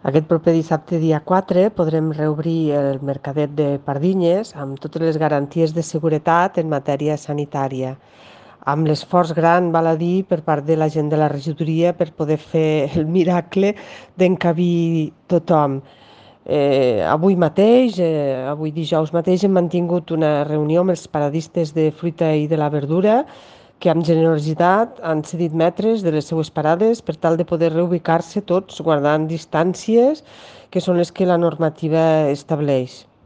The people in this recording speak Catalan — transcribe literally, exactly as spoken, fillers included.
Aquest proper dissabte, dia quatre, podrem reobrir el Mercadet de Pardinyes amb totes les garanties de seguretat en matèria sanitària, amb l'esforç gran, val a dir, per part de la gent de la regidoria per poder fer el miracle d'encabir tothom. Eh, avui mateix, eh, avui dijous mateix, hem mantingut una reunió amb els paradistes de fruita i de la verdura que amb generositat han cedit metres de les seues parades per tal de poder reubicar-se tots guardant distàncies que són les que la normativa estableix.